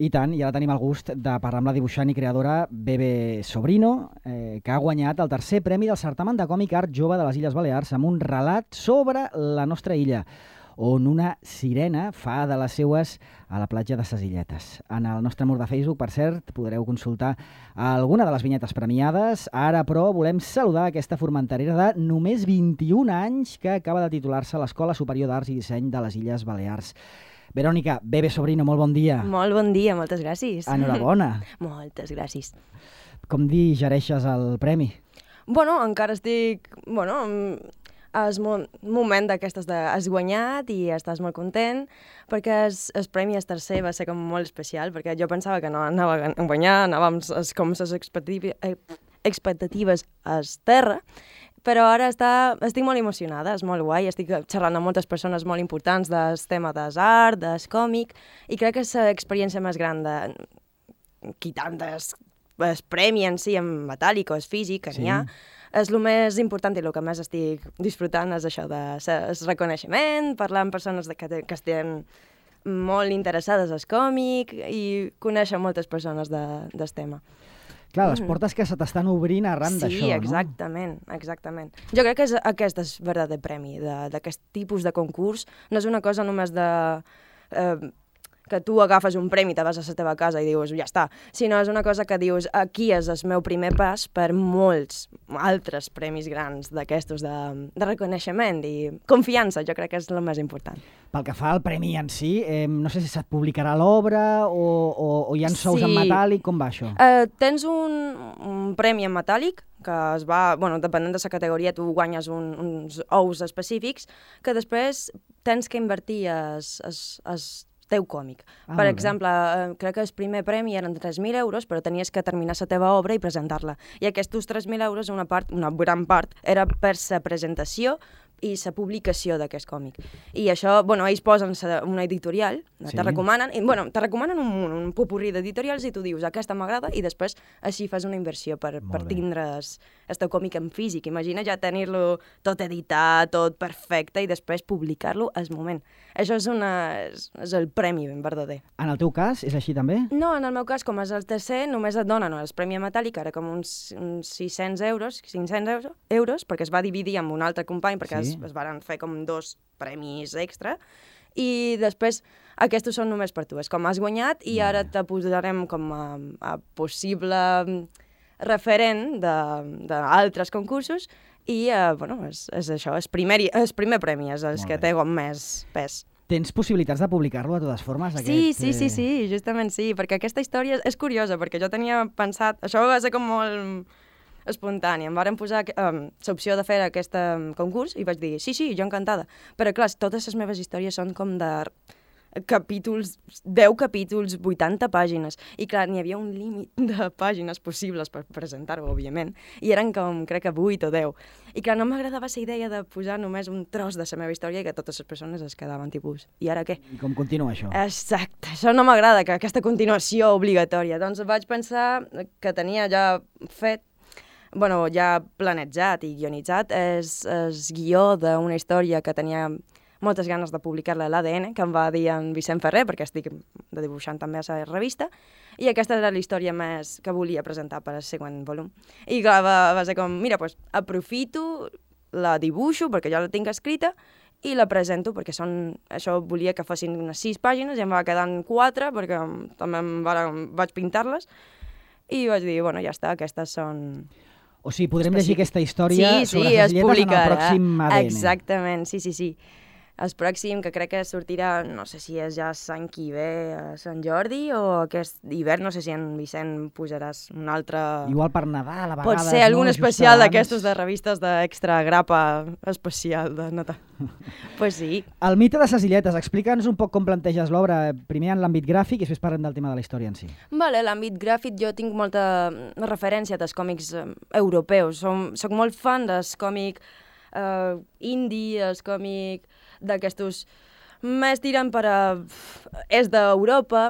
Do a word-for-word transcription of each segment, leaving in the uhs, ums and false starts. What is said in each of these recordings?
I tant, i ara tenim el gust de parlar amb la dibuixant i creadora Bebe Sobrino, eh, que ha guanyat el tercer premi del certamen de còmic art jove de les Illes Balears amb un relat sobre la nostra illa, on una sirena fa de les seues a la platja de ses Illetes. En el nostre mur de Facebook, per cert, podreu consultar alguna de les vinyetes premiades. Ara, però, volem saludar aquesta formenterera de només vint-i-un anys que acaba de titular-se a l'Escola Superior d'Arts i Disseny de les Illes Balears. Verònica, Bebe Sobrino, molt bon dia. Molt bon dia, moltes gràcies. Enhorabona. Moltes gràcies. Com digereixes el premi? Bueno, encara estic... Bueno, és un moment d'aquestes de... Has guanyat i estàs molt content, perquè el, el premi el tercer va ser com molt especial, perquè jo pensava que no anava a guanyar, anàvem com les expectatives, expectatives a terra, però ara està, estic molt emocionada, és molt guai, estic xerrant amb moltes persones molt importants del tema del art, del còmic, i crec que és l'experiència més gran de... Quitant el premi en si, en metàl·lic o és físic, que n'hi ha, és el més important i el que més estic disfrutant és això de el reconeixement, parlar amb persones que, que estan molt interessades al còmic i conèixer moltes persones de, del tema. Clar, les portes que se t'estan obrint arran sí, d'això, no? Sí, exactament, exactament. Jo crec que és, aquest és el verdader premi d'aquest tipus de concurs. No és una cosa només de... Eh, que tu agafes un premi, te vas a la teva casa i dius, ja està, sinó és una cosa que dius, aquí és el meu primer pas per molts altres premis grans d'aquestos de, de reconeixement i confiança, jo crec que és el més important. Pel que fa al premi en si, eh, no sé si se't publicarà l'obra o, o, o hi ha sous sí. en metàl·lic, com va això? Eh, tens un, un premi en metàl·lic, que es va, bueno, depenent de la categoria, tu guanyes un, uns ous específics, que després tens que invertir es, es, es teu còmic. Ah, per exemple, eh, crec que el primer premi eren tres mil euros, però tenies que terminar la teva obra i presentar-la. I aquests tres mil euros, una part, una gran part, era per la presentació i la publicació d'aquest còmic. I això, bueno, ells posen una editorial, sí. te recomanen, i, bueno, te recomanen un, un popurrí d'editorials i tu dius, aquesta m'agrada, i després així fas una inversió per, per tindre el teu còmic en físic. Imagina ja tenir-lo tot editat, tot perfecte, i després publicar-lo al moment. Això és, una, és, és el premi ben verdader. En el teu cas, és així també? No, en el meu cas, com és el tercer, només et donen el premi metàl·lic, ara com uns, uns sis-cents euros, cinc-cents euros, perquè es va dividir amb un altre company, perquè sí. es, es van fer com dos premis extra, i després aquests són només per tu. És com has guanyat i ara te posarem com a, a possible referent d'altres concursos i, uh, bueno, és, és això, el primer, el primer premi és el que té com més pes. Tens possibilitats de publicar-lo de totes formes? Aquest... Sí, sí, sí, sí, justament sí, perquè aquesta història és curiosa, perquè jo tenia pensat... Això va ser com molt espontani. Em varen posar um, l'opció de fer aquest um, concurs i vaig dir, sí, sí, jo encantada. Però, clar, totes les meves històries són com de capítols, deu capítols, vuitanta pàgines. I, clar, n'hi havia un límit de pàgines possibles per presentar-ho, òbviament. I eren com, crec que vuit o deu. I, clar, no m'agradava la idea de posar només un tros de la meva història i que totes les persones es quedaven tipus, i ara què? I com continua això? Exacte, això no m'agrada, que aquesta continuació obligatòria. Doncs vaig pensar que tenia ja fet, bueno, ja planejat i guionitzat és el guió d'una història que tenia moltes ganes de publicar-la a l'A D N, que em va dir en Vicent Ferrer, perquè estic de dibuixant també a la revista, i aquesta era la història més que volia presentar per al següent volum. I clar, va, va ser com, mira, doncs aprofito, la dibuixo, perquè jo la tinc escrita, i la presento, perquè són, això volia que fossin unes sis pàgines, i em va quedar en quatre, perquè també em va, vaig pintar-les, i vaig dir, bueno, ja està, aquestes són... O sigui, podrem llegir aquesta història sí, sobre sí, les Illetes en el pròxim A D N. Exactament, sí, sí, sí. El pròxim, que crec que sortirà, no sé si és ja l'any que ve a Sant Jordi o aquest hivern, no sé si en Vicent posaràs un altre... Igual per Nadal, a vegades... Pot ser algun no? especial d'aquestos de revistes d'extra grapa especial de Natal. Pues sí. El mite de ses Illetes, explica'ns un poc com planteges l'obra, primer en l'àmbit gràfic i després parlem del tema de la història en si. Vale, l'àmbit gràfic jo tinc molta referència dels còmics eh, europeus. Som, soc molt fan dels còmics eh, indie, els còmics d'aquestos més tirant per a... és d'Europa.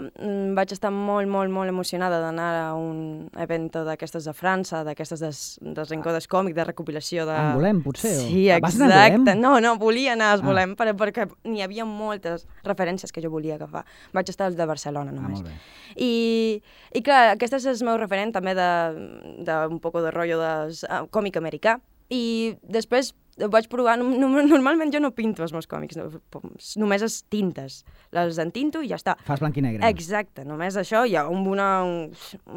Vaig estar molt, molt, molt emocionada d'anar a un event d'aquestes de França, d'aquestes des, des Rencodes Còmic, de recopilació de... Angolem, potser? O... Sí, Vas anar a exacte. Angolem? No, no, volia anar a Angolem, Ah. per, perquè n'hi havia moltes referències que jo volia agafar. Vaig estar als de Barcelona, Ah, només. molt bé. I, i clar, aquest és el meu referent també d'un de, de un poc de rotllo de uh, còmic americà. I després vaig provar, no, no, normalment jo no pinto els meus còmics, no, només les tintes, les entinto i ja està. Fas blanc i negre. Exacte, només això, hi ha un, una, un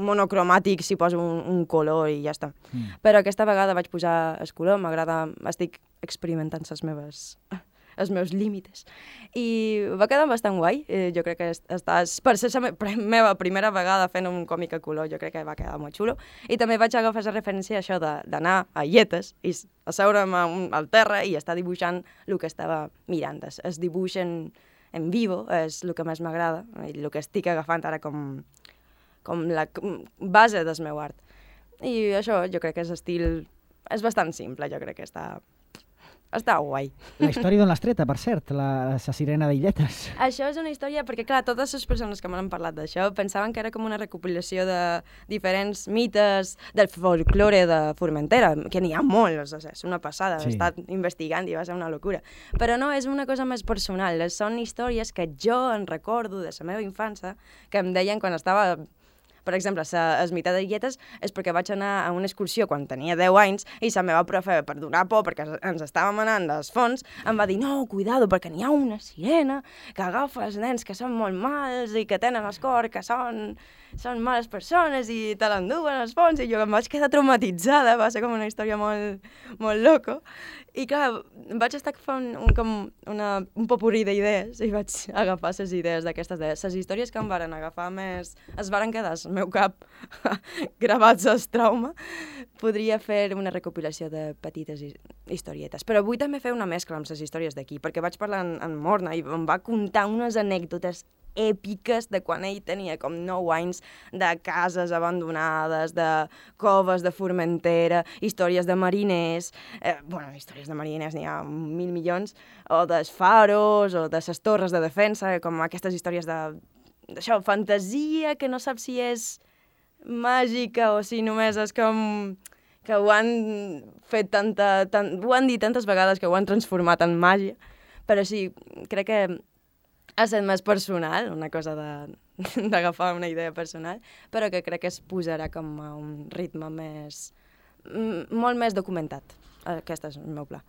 monocromàtic, s'hi posa un, un color i ja està. Mm. Però aquesta vegada vaig posar el color, m'agrada, estic experimentant les meves... els meus límits. I va quedar bastant guai. Eh, jo crec que estàs... Per ser la me meva primera vegada fent un còmic a color, jo crec que va quedar molt xulo. I també vaig agafar la referència a això d'anar a lletes i asseure'm al terra i estar dibuixant el que estava mirant. Es, es dibuix en, en vivo, és el que més m'agrada, i el que estic agafant ara com, com la com base del meu art. I això, jo crec que és estil... És bastant simple, jo crec que està... Està guai. La història d'on l'has treta, per cert, la, la sirena d'Illetes. Això és una història, perquè clar, totes les persones que m'han parlat d'això pensaven que era com una recopilació de diferents mites del folklore de Formentera, que n'hi ha molts, o sigui, és una passada, sí. He estat investigant i va ser una locura. Però no, és una cosa més personal, són històries que jo en recordo de la meva infància, que em deien quan estava... Per exemple, la mite de Illetes és perquè vaig anar a una excursió quan tenia deu anys i la meva profe, per donar por, perquè ens estàvem anant dels fons, em va dir, no, cuidado, perquè n'hi ha una sirena que agafa els nens que són molt mals i que tenen el cor, que són, són males persones i te l'enduen als fons, i jo em vaig quedar traumatitzada, va ser com una història molt, molt loco. I clar, vaig estar fent un, com una, un popurrí d'idees i vaig agafar les idees d'aquestes idees. Les històries que em varen agafar més es varen quedar al meu cap gravats al trauma. Podria fer una recopilació de petites historietes. Però vull també fer una mescla amb les històries d'aquí, perquè vaig parlar amb en Morna i em va contar unes anècdotes èpiques de quan ell tenia com nou anys, de cases abandonades, de coves de Formentera, històries de mariners, eh, bueno, històries de mariners n'hi ha mil milions, o dels faros, o de les torres de defensa, com aquestes històries de, d'això, fantasia, que no saps si és màgica o si només és com que ho han fet tanta, tant, ho han dit tantes vegades que ho han transformat en màgia, però sí, crec que ha estat més personal, una cosa d'agafar una idea personal, però que crec que es posarà com a un ritme més... molt més documentat. Aquest és el meu pla.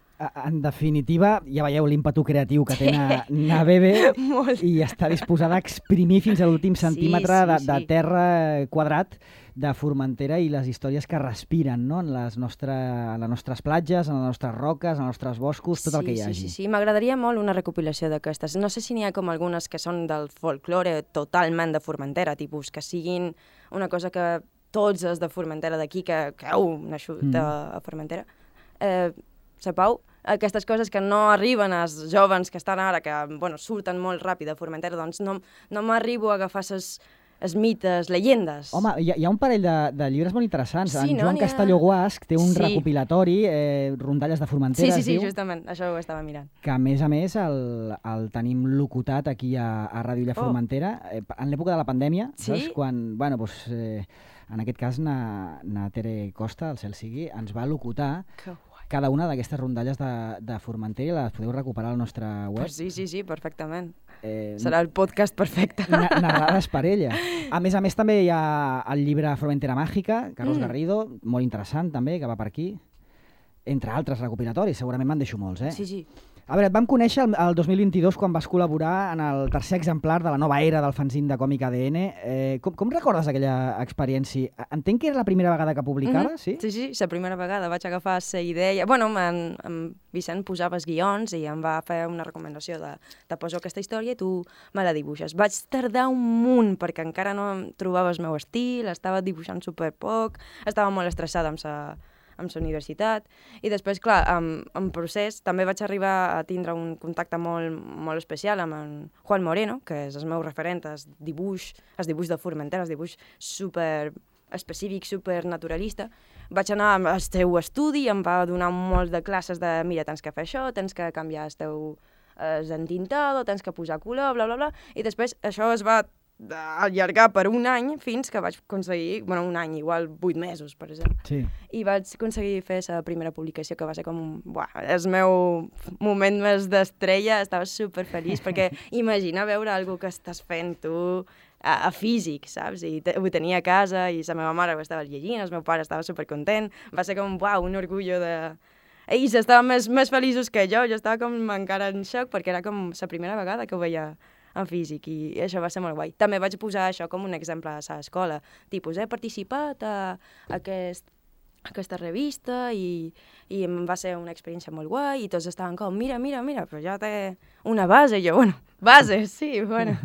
En definitiva, ja veieu l'ímpetu creatiu que té na, na Bebe i està disposada a exprimir fins a l'últim centímetre sí, sí, de, de sí. terra quadrat de Formentera i les històries que respiren, no? en, les nostre, en les nostres platges, en les nostres roques, en els nostres boscos, tot sí, el que hi hagi. Sí, sí, sí. M'agradaria molt una recopilació d'aquestes. No sé si n'hi ha com algunes que són del folklore totalment de Formentera, tipus que siguin una cosa que tots els de Formentera d'aquí, que, que heu nascut mm. a Formentera, eh, Pau, aquestes coses que no arriben als jovens que estan ara, que bueno, surten molt ràpid a Formentera, doncs no, no m'arribo a agafar ses, els mites, llegendes. Home, hi ha, hi ha un parell de, de llibres molt interessants. Sí, en no? Joan Castelló Guasc té un sí. recopilatori, eh, rondalles de Formentera, sí, sí, sí, diu, justament, això ho estava mirant. Que a més a més el, el tenim locutat aquí a, a Ràdio Illa Formentera, oh. eh, en l'època de la pandèmia, sí? saps? Quan, bueno, doncs, eh, en aquest cas, na, na Tere Costa, el cel sigui, ens va locutar que cada una d'aquestes rondalles de, de Formentera i les podeu recuperar al nostre web. Pues sí, sí, sí, perfectament. Eh, Serà el podcast perfecte. Na narrades per ella. A més a més també hi ha el llibre Formentera Màgica, Carlos mm. Garrido, molt interessant també, que va per aquí. Entre altres recopilatoris, segurament me'n deixo molts, eh? Sí, sí. A veure, et vam conèixer el, el dos mil vint-i-dos quan vas col·laborar en el tercer exemplar de la nova era del fanzine de còmic A D N. Eh, com, com recordes aquella experiència? Entenc que era la primera vegada que publicaves, mm-hmm. sí? Sí, sí, la primera vegada. Vaig agafar la idea... Bueno, en, en Vicent posava els guions i em va fer una recomanació de te poso aquesta història i tu me la dibuixes. Vaig tardar un munt perquè encara no trobava el meu estil, estava dibuixant super poc, estava molt estressada amb la... amb la universitat, i després, clar, en, en procés també vaig arribar a tindre un contacte molt, molt especial amb en Juan Moreno, que és el meu referent, el dibuix, el dibuix de Formentera, el dibuix super específic, super naturalista. Vaig anar al seu estudi, em va donar molts de classes de mira, tens que fer això, tens que canviar el teu, és entintado, tens que posar color, bla, bla, bla, i després això es va allargar per un any fins que vaig aconseguir, bueno, un any, igual vuit mesos, per exemple. Sí. I vaig aconseguir fer la primera publicació, que va ser com, buah, el meu moment més d'estrella, estava superfeliç, perquè imagina veure algo que estàs fent tu a, a físic, saps? I te, ho tenia a casa i la meva mare ho estava llegint, el meu pare estava supercontent, va ser com, buah, un orgullo de... Ells estaven més, més feliços que jo, jo estava com encara en xoc, perquè era com la primera vegada que ho veia en físic, i això va ser molt guai. També vaig posar això com un exemple a l'escola, tipus, he participat a aquest, a aquesta revista i, i em va ser una experiència molt guai i tots estaven com, mira, mira, mira, però ja té una base, i jo, bueno, base, sí, bueno,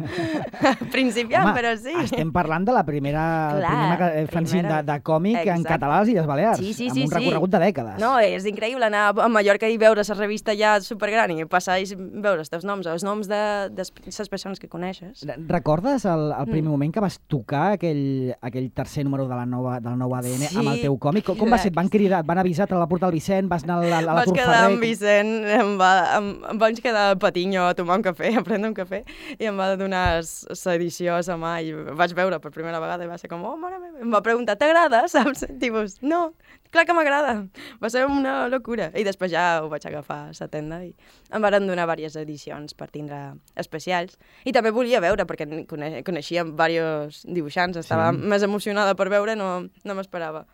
principiant, Home, però sí. Estem parlant de la primera, Clar, primera fanzine primera. de, de còmic Exacte. en català a les Illes Balears, Sí, sí, amb sí, un sí. recorregut de dècades. No, és increïble anar a Mallorca i veure la revista ja supergran i passar i veure els teus noms, els noms de, de les persones que coneixes. Re- Recordes el, el primer Mm. moment que vas tocar aquell, aquell tercer número de la nova, del nou A D N Sí, amb el teu còmic? Com, com va ser? Et van cridar, et van avisar, te la portar el Vicent, vas anar a la, a la Vaig Tour quedar Ferrer? amb Vicent, em, va, em, em vaig quedar a Patiño a tomar un cafè, a prendre un cafè, i em va donar l'edició a la mà i vaig veure per primera vegada i va ser com, oh, mare meva, em va preguntar, t'agrada, saps? Tipus, no, clar que m'agrada. Va ser una locura. I després ja ho vaig agafar a la tenda i em van donar diverses edicions per tindre especials. I també volia veure, perquè coneix, coneixia diversos dibuixants, estava Sí. més emocionada per veure, no, no m'esperava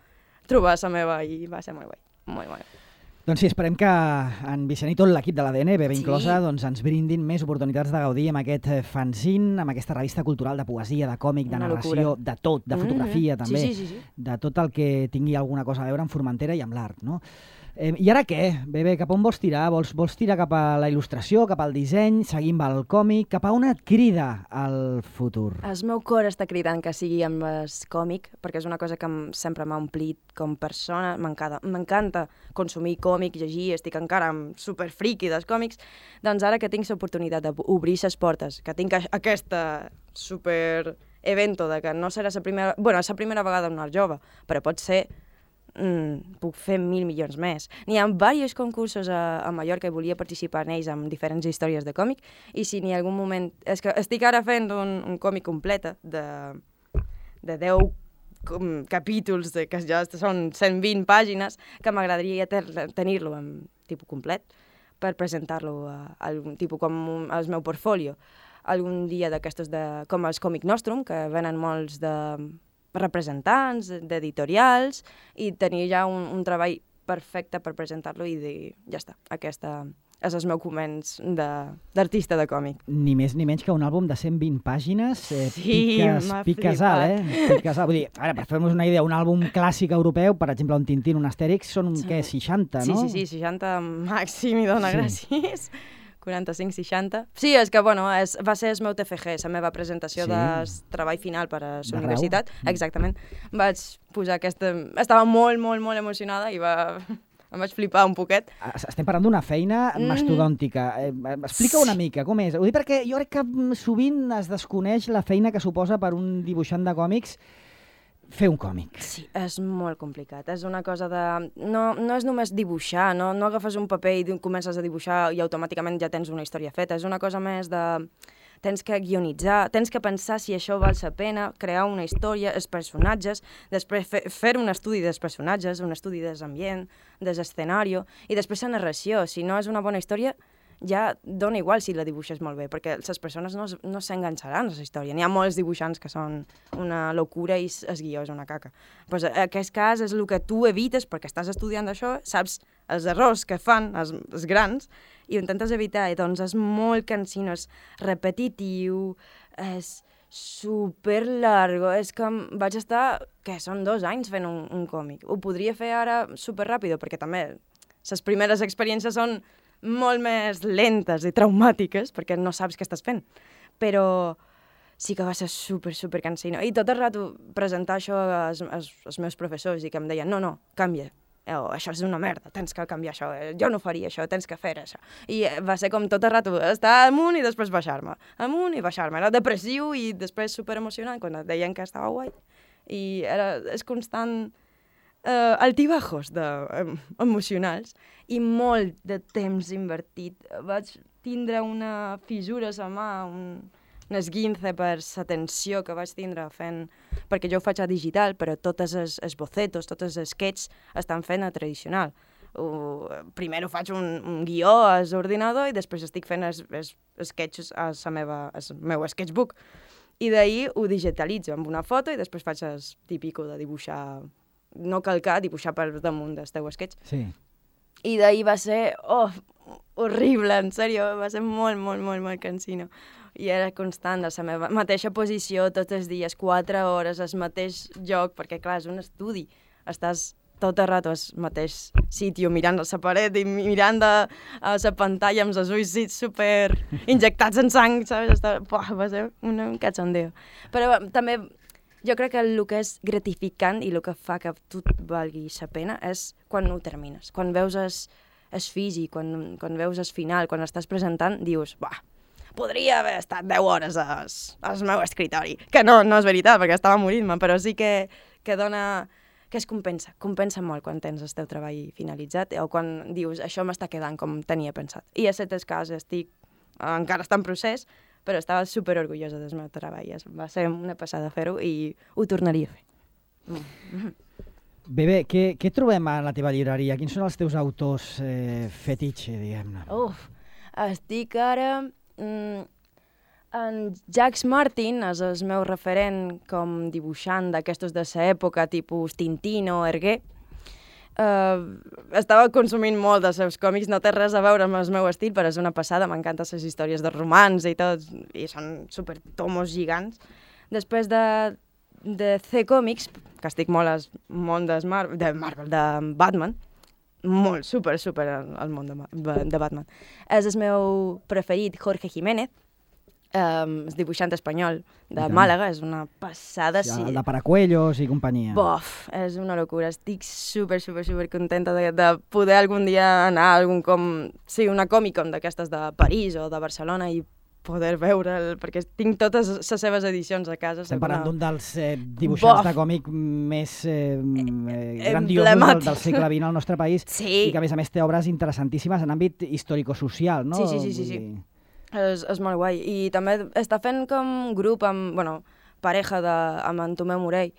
trobar la meva i va ser molt guai, molt guai. Doncs sí, esperem que en Vicent i tot l'equip de l'A D N, B B Sí. inclosa, doncs ens brindin més oportunitats de gaudir amb aquest eh, fanzine, amb aquesta revista cultural de poesia, de còmic, de Una narració, locura. de tot, de fotografia Mhm. també, Sí, sí, sí, sí. de tot el que tingui alguna cosa a veure amb Formentera i amb l'art, no? Eh, I ara què? B B, cap on vols tirar? Vols, vols tirar cap a la il·lustració, cap al disseny, seguim amb el còmic? Cap a on et crida el futur? El meu cor està cridant que sigui amb el còmic, perquè és una cosa que em, sempre m'ha omplit com persona. M'encanta, m'encanta consumir còmic, llegir, estic encara superfriqui dels còmics. Doncs ara que tinc l'oportunitat d'obrir les portes, que tinc a- aquesta super evento de que no serà la primera... Bueno, és la primera vegada en un art jove, però pot ser... Mm, puc fer mil milions més. N'hi ha diversos concursos a, a Mallorca i volia participar en ells amb diferents històries de còmic, i si n'hi ha algun moment... És que estic ara fent un, un còmic complet de, de deu com, capítols, de, que ja són cent vint pàgines, que m'agradaria ter- tenir-lo en tipus complet per presentar-lo a, a algun tipus com un, al meu portfolio. Algun dia d'aquestos de, com els Còmic Nostrum, que venen molts de representants, d'editorials, i tenir ja un, un treball perfecte per presentar-lo i dir, ja està, aquesta és el meu començ d'artista de, de còmic. Ni més ni menys que un àlbum de cent vint pàgines, eh, Sí, piques, m'ha piques flipat. alt, eh? Piques alt. Vull dir, ara, per fer-nos una idea, un àlbum clàssic europeu, per exemple, un Tintín, un Astèrix, són, Sí. què, seixanta, Sí, no? sí, sí, seixanta màxim, i dona Sí. gràcies. quaranta-cinc seixanta. Sí, és que, bueno, és, va ser el meu T F G, la meva presentació Sí. de treball final per a la D'arreu. universitat. Mm. Exactament. Vaig posar aquesta... Estava molt, molt, molt emocionada i va... em vaig flipar un poquet. Es- Estem parlant d'una feina Mhm. mastodòntica. Eh, explica una mica, com és? Ho dic perquè jo crec que mm, sovint es desconeix la feina que suposa per un dibuixant de còmics fer un còmic. Sí, és molt complicat. És una cosa de... No, no és només dibuixar, no, no agafes un paper i di- comences a dibuixar i automàticament ja tens una història feta. És una cosa més de... Tens que guionitzar, tens que pensar si això val la pena, crear una història, els personatges, després fer, fer un estudi dels personatges, un estudi dels ambient, des escenari, i després la narració. Si no és una bona història, ja dona igual si la dibuixes molt bé, perquè les persones no, es- no s'enganxaran a la història. N'hi ha molts dibuixants que són una locura i s- el guió és una caca. Pues, en aquest cas és el que tu evites perquè estàs estudiant això, saps els errors que fan els, els grans i ho intentes evitar, i doncs és molt cansino, és repetitiu, és super largo, és que em vaig estar, que són dos anys fent un, un còmic. Ho podria fer ara super ràpido, perquè també les primeres experiències són molt més lentes i traumàtiques, perquè no saps què estàs fent. Però sí que va ser super, super cansino. I tot el rato presentar això als, als, als meus professors i que em deien, no, no, canvia. Oh, això és una merda, tens que canviar això, jo no faria això, tens que fer això. I va ser com tot el rato estar amunt i després baixar-me, amunt i baixar-me. Era depressiu i després super emocionant quan et deien que estava guai. I era, és constant eh, altibajos de, em, emocionals i molt de temps invertit. Vaig tindre una fissura a la mà, un, un esguince per la tensió que vaig tindre fent... Perquè jo ho faig a digital, però tots els, els bocetos, tots els sketches estan fent a tradicional. Uh, primer ho faig un, un guió a l'ordinador i després estic fent els, els sketches a la meva, al meu sketchbook. I d'ahir ho digitalitzo amb una foto i després faig el típico de dibuixar, no calcar, dibuixar per damunt del teu sketch. Sí. I d'ahir va ser, oh, horrible, en sèrio, va ser molt, molt, molt, molt cansino. I era constant a la meva mateixa posició tots els dies, quatre hores, al mateix lloc, perquè clar, és un estudi, estàs tot el rato al mateix sitio, mirant a la paret i mirant a, a la pantalla amb els ulls super injectats en sang, saps? Estava, buah, va ser un, un cachondeo. Però també jo crec que el que és gratificant i el que fa que tot valgui la pena és quan ho termines, quan veus el, el físic, quan, quan veus el final, quan estàs presentant, dius, buah, podria haver estat deu hores al, al meu escritori, que no, no és veritat, perquè estava morint-me, però sí que, que dona... que es compensa, compensa molt quan tens el teu treball finalitzat o quan dius, això m'està quedant com tenia pensat. I a aquest cas estic, encara està en procés, però estava superorgullosa del meu treball. Va ser una passada fer-ho i ho tornaria a fer. Mm. Bé, bé, què, què trobem a la teva llibreria? Quins són els teus autors eh, fetitxe, diguem-ne? Uf, estic ara... Mm, en Jacques Martin és el meu referent com dibuixant d'aquestos de l'època, tipus Tintín o Hergé. Uh, estava consumint molt dels seus còmics, no té res a veure amb el meu estil, però és una passada, m'encanten les històries de romans i tot, i són super tomos gigants. Després de, de C-Comics, que estic molt al món de Marvel, de Marvel, de Batman, molt, super, super al món de, de Batman. És el meu preferit, Jorge Jiménez, Um, el dibuixant espanyol de Màlaga, és una passada. Sí, el de Paracuellos i companyia. Bof, és una locura. Estic super, super, super contenta de, de poder algun dia anar a algun com... Sí, una Comic-Con d'aquestes de París o de Barcelona i poder veure'l, perquè tinc totes les seves edicions a casa. Estem parlant d'un dels eh, dibuixants Bof. de còmic més eh, eh, grandiosos del, del segle vint al nostre país, sí. I que a més a més té obres interessantíssimes en àmbit històrico-social, no? Sí, sí, sí, sí, sí. És, és molt guai. I també està fent com grup amb, bueno, pareja de, amb en Tomeu Morell,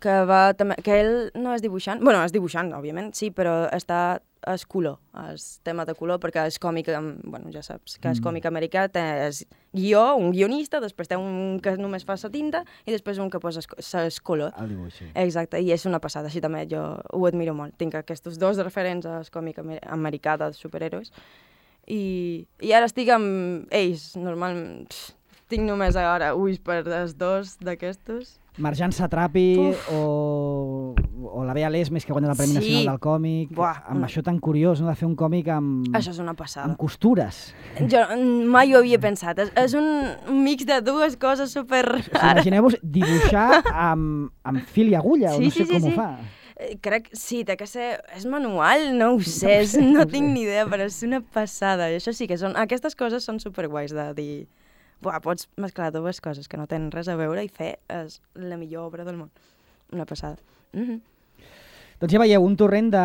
que, va, també, que ell no és dibuixant, bueno, és dibuixant, òbviament, sí, però està és color, és tema de color, perquè és còmic, bueno, ja saps, que és còmic americà, té és guió, un guionista, després té un que només fa la tinta i després un que posa el color. El dibuix, sí. Exacte, i és una passada, així també jo ho admiro molt. Tinc aquests dos referents al còmic americà dels superhéroes. I, i ara estic amb ells, normalment tinc només ara ulls per els dos d'aquestos. Marjan Satrapi o, o la Bea Lesmes, que guanya el Premi sí. Nacional del Còmic. Buah, amb una... això tan curiós, no?, de fer un còmic amb... Això és una passada. Amb costures. Jo mai ho havia pensat. És, és un mix de dues coses super rares. O sigui, imagineu-vos dibuixar amb, amb fil i agulla, sí, o no sé sí, com sí, ho sí. fa. Crec, sí, té que ser... És manual? No ho sé, és, no tinc ni idea, però és una passada. I això sí que són... Aquestes coses són superguais de dir... Buah, pots mesclar dues coses que no tenen res a veure i fer és la millor obra del món. Una passada. Mm-hmm. Doncs ja veieu, un torrent de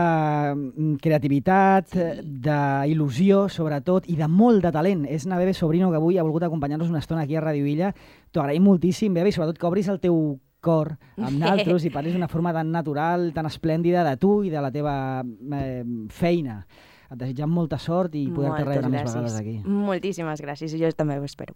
creativitat, sí. d'il·lusió, sobretot, i de molt de talent. És na Bebe Sobrino, que avui ha volgut acompanyar-nos una estona aquí a Ràdio Illa. T'ho agraïm moltíssim, Bebe, i sobretot que obris el teu cor amb naltros i parlis d'una forma tan natural, tan esplèndida de tu i de la teva eh, feina. Et desitgem molta sort i poder-te rebre més vegades aquí. Moltíssimes gràcies, i jo també ho espero.